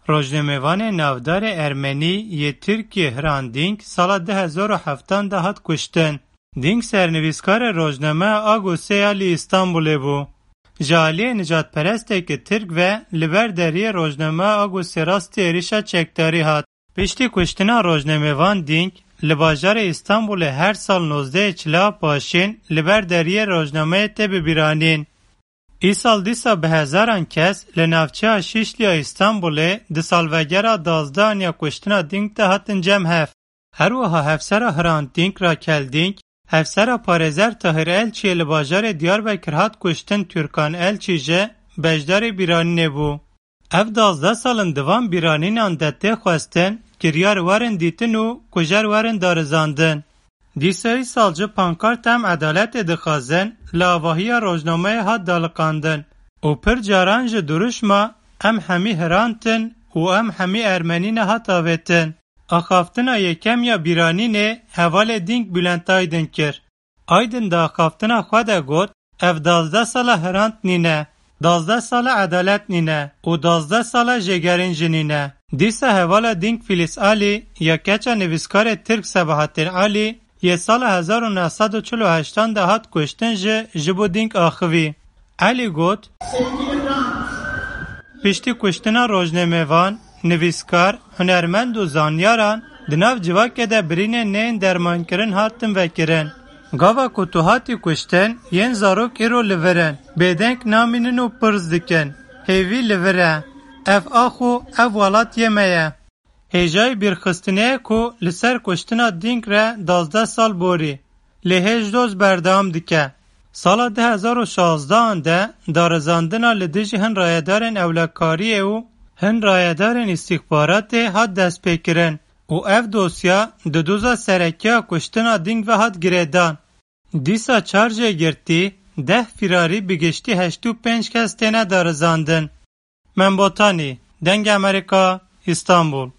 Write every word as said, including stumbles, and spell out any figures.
Rojnamevanê navdarê ermenî yê Tirkiyê Hrant Dînk sala du hezar û heftan de hat kuştin. Dînk sernivîskarê rojnameya Agosê ya li Îstanbulê bû. Ji aliyê nijadperesteke Tirk ve li ber deriyê rojnameya Agosê rastî êrişa çekdarî hat. Piştî kuştina rojnamevan Dînk li bajarê Îstanbulê her sal nozdehê Çila paşîn li ber deriyê rojnameyê tê bibîranîn. Îsal dîsa bi hezaran kes li navçeya Şîşliya Îstanbulê di salvegera dazdehan ya kuştina Dînk de hatin cem hev. Her wiha hevsera Hrant Dînk Rakel Dînk, hevsera parêzer Tahir Elçiyê li bajarê Diyarbekir hat kuştin Türkan Elçî jî beşdarê bîranînê bû. Ev dazdeh sal in di van bîranînan de tê xwestin, kiryar werin dîtin û kujer werin darizandin. Dîsa îsal jî pankart Em edaletê dixwazin li avahiya rojnameyê hat daliqandin û pir caran ji duruşma Em hemî Hrant in û Em hemî Ermenî ne hat avêtin. Axaftina yekem ya bîranînê hevalê Dînk Bülent Aydin kir. Aydin di axaftina xwe de got, Ev dazdeh sala Hrant nîne, dazdeh sala edalet nîne û dazdeh sala jêgerîn jî nîne. Dîsa hevala Dînk Filiz Alî ya keça nivîskarê Tirk Sebahattin Alî yê sala hezar û neh sed û çil û heştan de hat kuştin jî ji bo Dînk axivî. Alî got, Piştî kuştina rojnamevan, nivîskar, hunermend û zanyaran di nav civakê de birînên neyên dermankirin hatin vekirin. Gava ku tu hatî kuştin, yên zarok îro li vir in, bêdeng namînin û pirs dikin. Hêvî li vir e. Ev ax û ev welat yê me ye. Hêjayî bîrxistinê ye ku li ser kuştina Dînk re dazdeh sal borî, lê hêj doz berdewam dike. Sala du hezar û şazdehan de darizandina li dijî hin rayedarên ewlekariyê û hin rayedarên îstîxbaratê hat destpêkirin û ev dosya di doza serekî ya kuştina Dînk ve hat girêdan. Dîsa çar jêgirtî, deh fîrarî, bi giştî heştê û pênc kes têne darizandin. Membotanî, Dengê Amerîka, Îstanbul.